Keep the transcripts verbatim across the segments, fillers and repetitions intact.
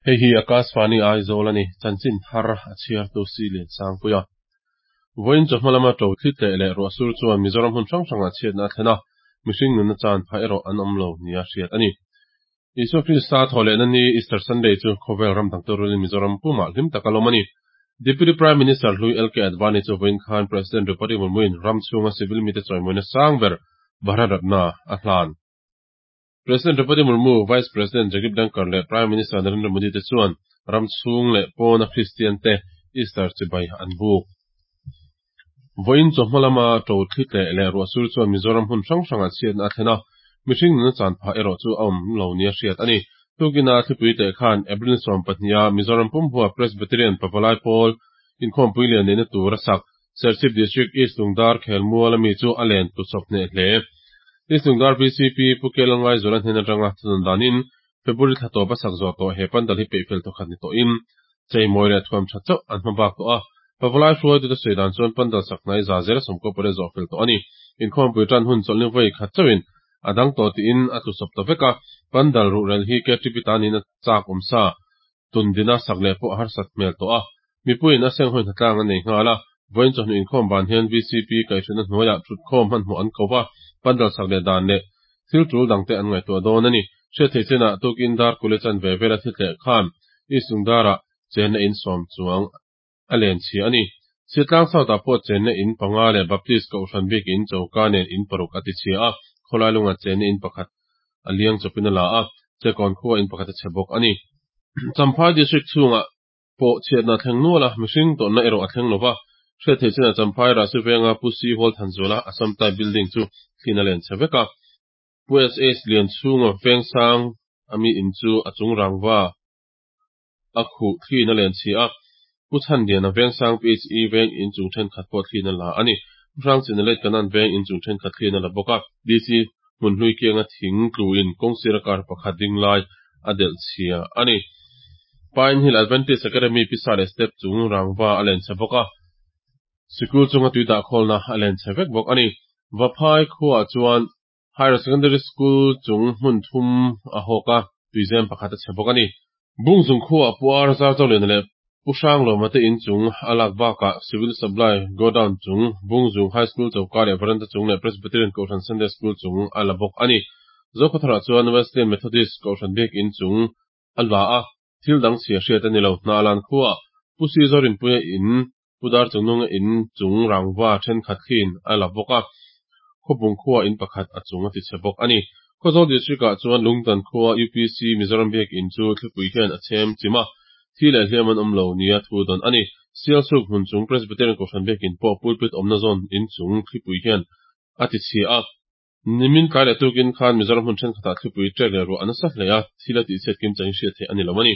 Hei hi Akashvani Aizawl a ni, chanchin thar a chhiartu si lian sangpuia. Vawiin chawhma lama to thli tleh leh ruahsur chuan Mizoram hmun hrang hrangah chhiatna a thlen a, mihring nunna chan phah erawh an awm lo nia hriat a ni. Isua Krista thawhlehna ni Easter Sunday chu khawvel ram dang te rualin Mizoram pumah hlim taka lawm a ni. Deputy Prime Minister hlui L K Advani chu vawiin khan President Draupadi Murmu-in ram chhunga civil mite chawimawina sang ber Bharat Ratna a hlan. President Draupadi Murmu, Vice President Jagdeep Dhankhar leh Prime Minister Narendra Modi te chuan ram chhung leh pawna Kristian te Easter chibai an buk. Vawiin chawhma lama to thli tleh leh ruahsur chuan Mizoram hmun hrang hrangah chhiatna a thlen a, mihring nunna chan phah erawh chu a awm lo nia hriat a ni. Tukina thlipui tleh khan April sawm pahniha Mizoram pumhua Presbyterian Pavalai Pawl inkhawmpui lian neihna tur a sak Serchhip District East Lungdar khelmual ami chu a len tu chawp hneh hle. East Lungdar V C P Pu Kelangai Zuala hnen atanga thunawn danin February thla tawp a sak zawh tawh he pandal hi peihfel thawkhat ni tawhin cheimawi leh thuam tha chauh an hma bak tawh a. Pavalai hruaitute sawi dan chuan pandal sak hnai za zela sawmkaw pawh zawh fel tawh a ni. Inkhawmpui tan hun chawlhni vawi khat chauhin a dang tawh tiin a tlu sawp ta vek a, pandal ruhrel hi K T P tanin a chak awm sa tundina sak leh pawh a harsat hmel tawh a. Mipuiin a seng hawi hnatlang a nei nghal a, vawiin chawhnu inkhawm ban hian V C P kaihhruaina hnuaiah thutkhawm hmanhmawh an ko va, pandal sak leh dan leh thil tul dangte an ngaihtuah dawn a ni. Hriat thei chenah tukin dar kule chan ve vela thli tleh khan East Lungdarah chenna in sawm chuang a len chhia a ni. Chhiatlang South-ah pawh chenna in panga leh Baptist kohhran bik in choka nen in paruk a ti chhia a, khawlai lungah chenna in pakhat a liang chawpin a la a, chekawn khua in pakhat a chhe bawk a ni. Champhai District chhungah pawh chhiatna a thleng nual a, mihring tawrhna erawh a thleng lova. Hriat thei chenah Champhai Rasi venga Pu Si Hall Thanzuala Assam Type Building chu thlin a len chhe vek a. Pu S H Lian chhunga veng sang ami in chu a chung rangva a khuh thlin a len chhia a. Pu Chhan Liana veng sang P H E veng in chung thenkhat pawh thlin a la a ni. Pu Hrang Chin leh Kanan veng in chung thenkhat thlin a la bawk a. D C hmun hlui kianga thing tluin kawngsira kar pakhat ding lai a delh chhia a ni. Pine Hill Adventist Academy pisa leh step chung rangva a len chhe bawk a. Sikul chunga tuidah khawlna a len chhe vek bawk a ni. Vaphai khuah chuan Higher Secondary School chung hmun thum a hawk a, tuizem pakhat a chhe bawk a ni. Bungzung khuah Pu Ar Zar Chawliana leh Pu Hrang Lawma te in chung a lak bakah Civil Supply Godown chung, Bungzung High School choka leh veranda chung leh Presbyterian Kohhran Sunday School chung a la bawk a ni. Zokhawtharah chuan Wesleyan Methodist Kohhran bik in chung a la a, thil dang chhia hriat a ni lo. Hna lan khuah Pu Si Zorinpuia in Pu Dar Chungnunga in chung rangva thenkhat thlin a la bawk a, khawpung khuah in pakhat a chung a ti chhe bawk a ni. Khawzawl District-ah chuan Lungtan khua U P C Mizoram biak in chu thlipui hian a chhem chim a, thi leh hliam an awm lo nia thu dawn a ni. Sialsuk hmun chung Presbyterian Kohhran biak in pawh pulpit awmna zawn in chung thlipui hian a ti chhia a. Nimin tlai leh tukin khan Mizoram hmun thenkhatah thlipui ṭek leh ruah a nasa hle a, thil a tihchhiat kim changin hriat theih a ni lo a ni.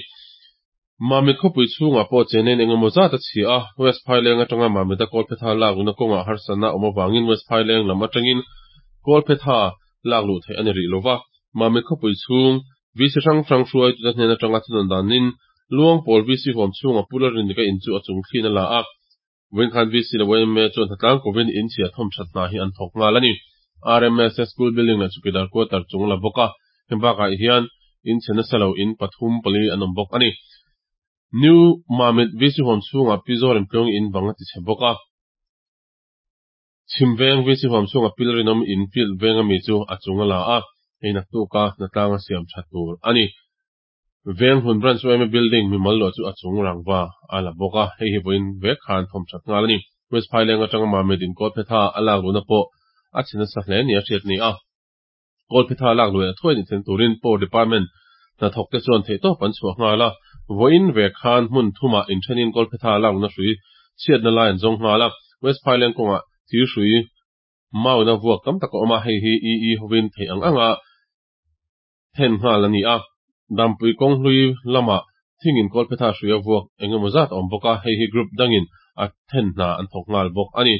Mamit khawpui chhungah pawh chenin engemaw zat a chhia a, West Phaileng atanga Mamita Kawlphetha lak luhna kawngah harsatna awm avangin West Phaileng lam atangin Kawlphetha lak luh theih a ni rih lova. Mamit khawpui chhung V C hrang hrang hruaitute hnen atanga thunawn danin Luangpawl V C huam chhungah Pu Lalrinlika in chu a chung thlin a la a. Vawiin khan V C leh Y M A chuan hnatlang kovin in chhia thawm that hna hi an thawk nghal a ni. R M S School Building leh Chukidar Quarter chung la bawk a, heng bakah hian in chhe nasa lo in pathum pali an awm bawk a ni. New Mamit V C huam chhungah Pi Zorin Tluang in bang a ti chhe bawk a. Chhim veng V C huam chhungah Pi Lalrinawm in field veng ami chu a chung a la a, hei naktuka hnatlang a siam tha tur a ni. Veng hun branch Y M A building mimal luah chu a chung rangva a la bawk a, hei hi vawiin vek khan thawm that nghal a ni. West Phaileng atanga Mamit in Kawlphetha a lak luhna pawh a chhe nasa hle ni a hriat ni a. Kawlphetha lak luh leh thuai ni thlen turin Power Department hnathawk te chuan theihtawp an chhuah nghal a, vawiin vek khan hmun thumah inthenin Kawlphetha lak luhna hrui chhiatna lai an zawng nghal a. West Phaileng kawngah thir hrui mauna vuak tam tak a awm a, hei hi E E hovin theih ang anga then nghal a ni a. Dampui kawng hlui lamah thingin Kawlphetha hrui a vuak engemaw zat a awm bawk a, hei hi group dangin a then hna an thawk nghal bawk a ni.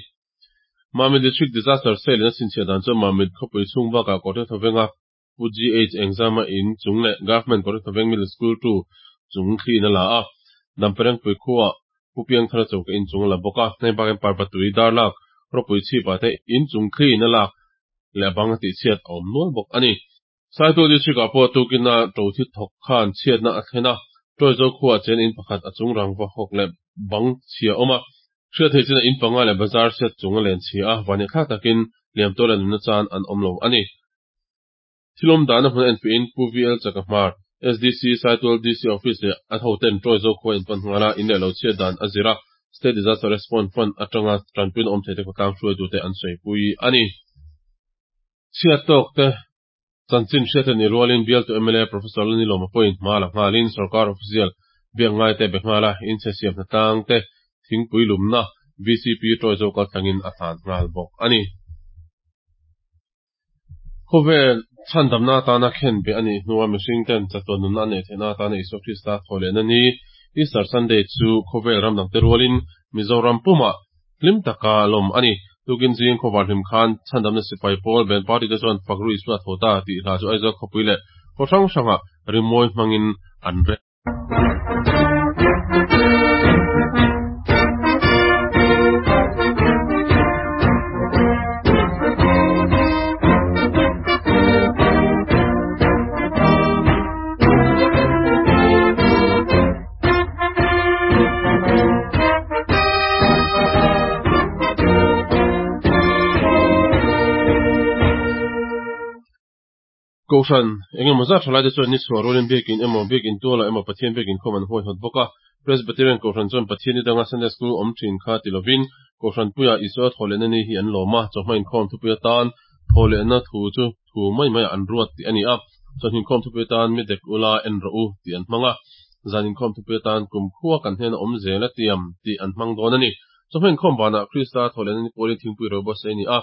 Mamit District Disaster Cell in a chhinchhiah dan chuan Mamit khawpui chhung bakah Kawrte Thawenga Pu G H Engzama in chung leh Government Kawrte Thaweng Middle School two chung thlin a la a, Damperengpui khuah Pu Piangthara choka in chung a la bawk a, hei bakin Parvatui Darlak ropui chhipah te in chung thlin a lak leh bang a tihchhiat a awm nual bawk a ni. Saitual District-ah pawh tukina to thi thawk khan chhiatna a thlen a, Ṭawizo khuaah chen in pakhat a chung rangva hawk leh bang chhia a awm a. Hriat theih chinah in panga leh bazar chhiat chung a len chhia a, vannehthlak takin hliam tuar leh nunna chan an awm lo a ni. Thil awm dahna hmun a enfiahin Pu V L Chakahmar, S D C, Saitual D C Office leh a hoten Ṭawizo khua in pan nghal a, in leh lo chhiat dan a zir a, State Disaster Response Fund atanga tanpuina awm theite khawtlang hruaitute an sawipui a ni. Chhiat tawk te chanchin hriat a nih rualin bialtu M L A Professor Lalnilawma pawhin hma la nghalin sorkar official biak ngai te be nghal a, inchhe siam hnatlang te thingpui lumna V C P Ṭawizo kaltlangin a hlan nghal bawk a ni. Khawvel chhandamna atana khen be a nih hnua mihring ten chatuan nunna a neih theihna atana Isua Krista thawhlehna ni Easter Sunday chu khawvel ram dangte rualin Mizoram pumah hlim taka lawm a ni. Tukin zing khawvar hlim khan chhandamna sipai pawl band party te chuan Fakru Isua tho ta tih hla chu Aizawl khawpui leh khaw hrang hrangah rimawi hmangin an rem. Kohhran engemaw zat tha laite chuan ni chhuah rualin biakin emaw biakin tualah emaw Pathian biakin khawm an huaihawt bawk a. Presbyterian Kohhran chuan Pathian ni danga Sunday School awm thin kha ti lovin Kohhran puiah Isua thawhlehna ni hi an lawm a, chawhma inkhawm thupui atan thawhlehna thu chu thu mai maiah an ruat tih a ni a. Chawhni inkhawm thupui atan mi dek ula en rawh u tih an hmang a. Zan inkhawm thupui atan kum khua kan hnena awm zel a tiam tih an hmang dawn a ni. Chawhma inkhawm banah Krista thawhlehna ni pawlin thingpui ro buatsaih a ni a.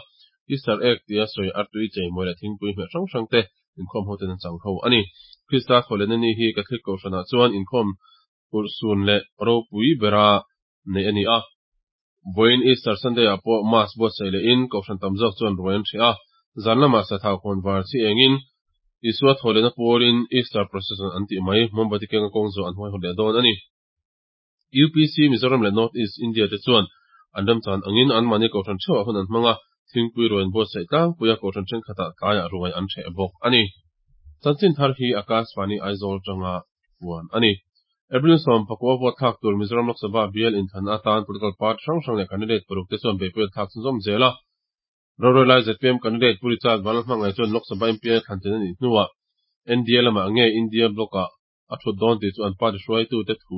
Easter egg tia sawi artui cheimawi leh thingpui hmeh hrang hrang te inkhawm ho ten an chang ho a ni. Krista thawhlehna ni hi Catholic Kohhranah chuan inkhawm urhsun leh ropui bera nei a ni a. Vawiin Easter Sunday ah pawh Mass buatsaih lehin Kohhran tam zawk chuan ruai an hreh a. Zan lamah sathau khawn var chi engin Isua thawhlehna pawlin Easter procession an tih mai mombati kenga kawng zawh an huaihawt leh dawn a ni. U P C Mizoram leh North East India te chuan an remchan angin anmahni Kohhran theuhah hun an hmang a, thingpui ruai an buatsaih tlangpui a, Kohhran thenkhatah tlaiah ruai an hreh bawk a ni. Chanchin thar hi Akashvani Aizawl tanga puan a ni. April sawm pakua vote thlak tur Mizoram Lok Sabha bial inthlan atan political party hrang hrang leh candidate paruk te chuan beihpui an thlak chhunzawm zel a. Rorel lai Z P M candidate Pu Richard Vanlalhmangaih chuan Lok Sabha M P A thlan chen a nih hnuah N D A lamah nge India block-ah a thut dawn tih chu an party hruaitute thu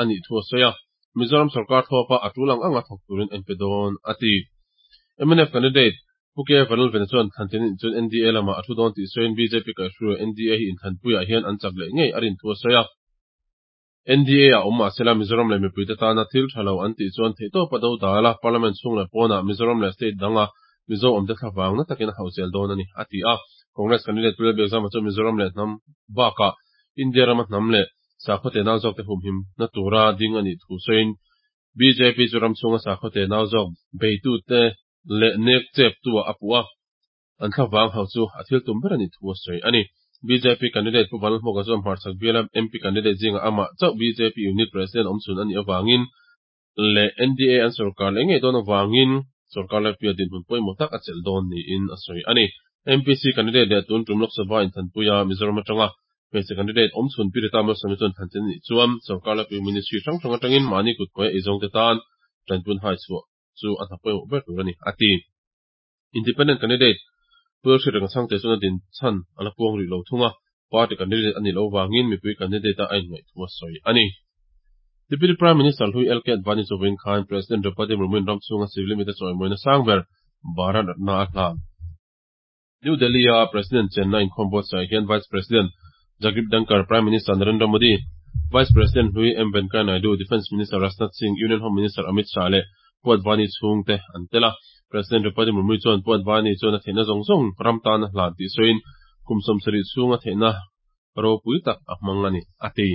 a nih thu a sawi a. Mizoram sorkar thlawpa a tul ang anga thawk turin a inpe dawn a ti. M N F candidate Pu K Vanlalvena chuan thlan chen chuan N D A lamah a thu dawn tih sawiin B J P kaihhruai N D A hi inthlanpuiah hian an chak leh ngei a rin thu a sawi a. N D A a awm mahsela Mizoram leh mipuite tana thil tha lo an tih chuan theihtawpa do dal a, Parliament chhung leh pawnah Mizoram leh state danga Mizo awmte thlavang na takin a hauh zel dawn a ni, a ti a. Congress candidate Pu Lalbiakzama chuan Mizoram leh hnam bakah India rama hnam leh sakhaw te nau zawkte humhim na tura ding a nih thu sawiin B J P chu ram chhunga sakhaw te nau zawk beitute leh nek chep tuah a puh a, an thlavang hauh chu a thil tum ber a nih thu a sawi a ni. B J P candidate Pu Vanlalhmawka chuan hmarchhak biala M P candidate zingah amah chauh B J P unit president awm chhun a nih avangin leh N D A an sorkar leh ngei dawn avangin sorkar laipui a dinhmun pawimawh tak a chelh dawn niin a sawi a ni. M P C candidate leh tun tum Lok Sabha inthanpuia Mizoram atanga hmeichhe candidate awm chhun Pi Rita Malsawmi chuan thlan chen a nih chuan sorkar laipui ministry hrang hrang atangin mahni kut kawi a eizawngte tan tanpun hai chhuah chu a hna pawimawh ber tur a ni, a ti. Independent candidate Pu Hriat Reng Chhangte chuan a din chhan a la puang rih lo thung a, party candidate a nih loh vangin mipui candidate a a inngaih thu a sawi a ni. Deputy Prime Minister Hlui L K Advani chu vawiin khan President Draupadi Murmu-in ram chhunga civil limit a chawimawina sang ber Bharat Ratna a hlan. New Delhi-a President chenna inkhawm buatsaih hian Vice President Jagdeep Dhankhar, Prime Minister Narendra Modi, Vice President Hlui M Venkaiah Naidu, Defence Minister Rajnath Singh, Union Home Minister Amit Shah leh Pu Advani chhungte an tel a. President Draupadi Murmu chuan Pu Advani chuan a theihna zawng zawng ram tan a hlan tih sawiin kum sawmsarih chhunga theihna ropui tak a hmang a ni, a ti.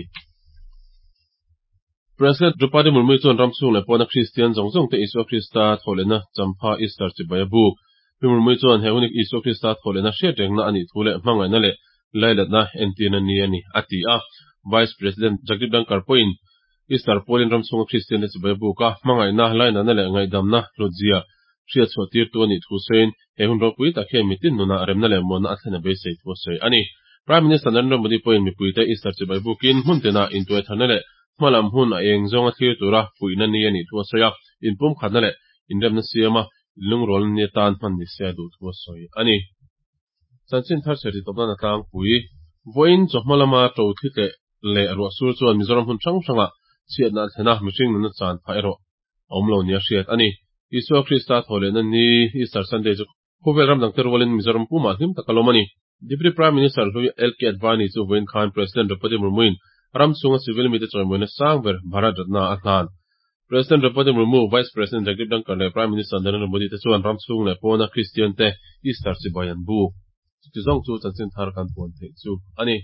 President Draupadi Murmu chuan ram chhung leh pawna Kristian zawng zawng te Isua Krista thawhlehna champha Easter chibai a buk. Pi Murmu chuan he hunik Isua Krista thawhlehna hriat rengna a nih thu leh hmangaihna leh lailatna entirna ni a ni, a ti a. Vice President Jagdeep Dhankhar pawhin Easter pawlin ram chhunga Kristian te chibai a buk a, hmangaihna, lainatna leh ngaihdamna hlutzia hriat chhuah tirtu a nih thu sawiin he hun ropui tak hian mitin nunah remna leh muanna a thlen a beisei thu a sawi a ni. Prime Minister Narendra Modi pawhin mipuite Easter chibai bukin hmun tinah intuaitharna leh hmalam hun a eng zawnga thlir tura fuihna ni a nih thu a sawi a, inpumkhatna leh inremna siama inlungrualna ni atan hman ni se a duh thu a sawi a ni. Chanchin thar chher titawp nan a tlangpui. Vawiin chawhma lama to thli tleh leh ruahsur chuan Mizoram hmun hrang hrangah chhiatna a thlen a, mihring nunna chan phah erawh a awm lo nia hriat a ni. Isua Krista thawhlehna ni Easter Sunday chu khawvel ram dangte rualin Mizoram pumah hlim tak a lawm a ni. Deputy Prime Minister hlui L K Advani chu vawiin khan President Draupadi Murmu-in ram chhunga civil mite chawimawina sang ber Bharat Ratna a hlan. President Draupadi Murmu, Vice President Jagdeep Dhankhar leh Prime Minister Narendra Modi te chuan ram chhung leh pawna Kristian te Easter chibai an buk. Chuti zawng chu chanchin thar kan puan theih chu a ni.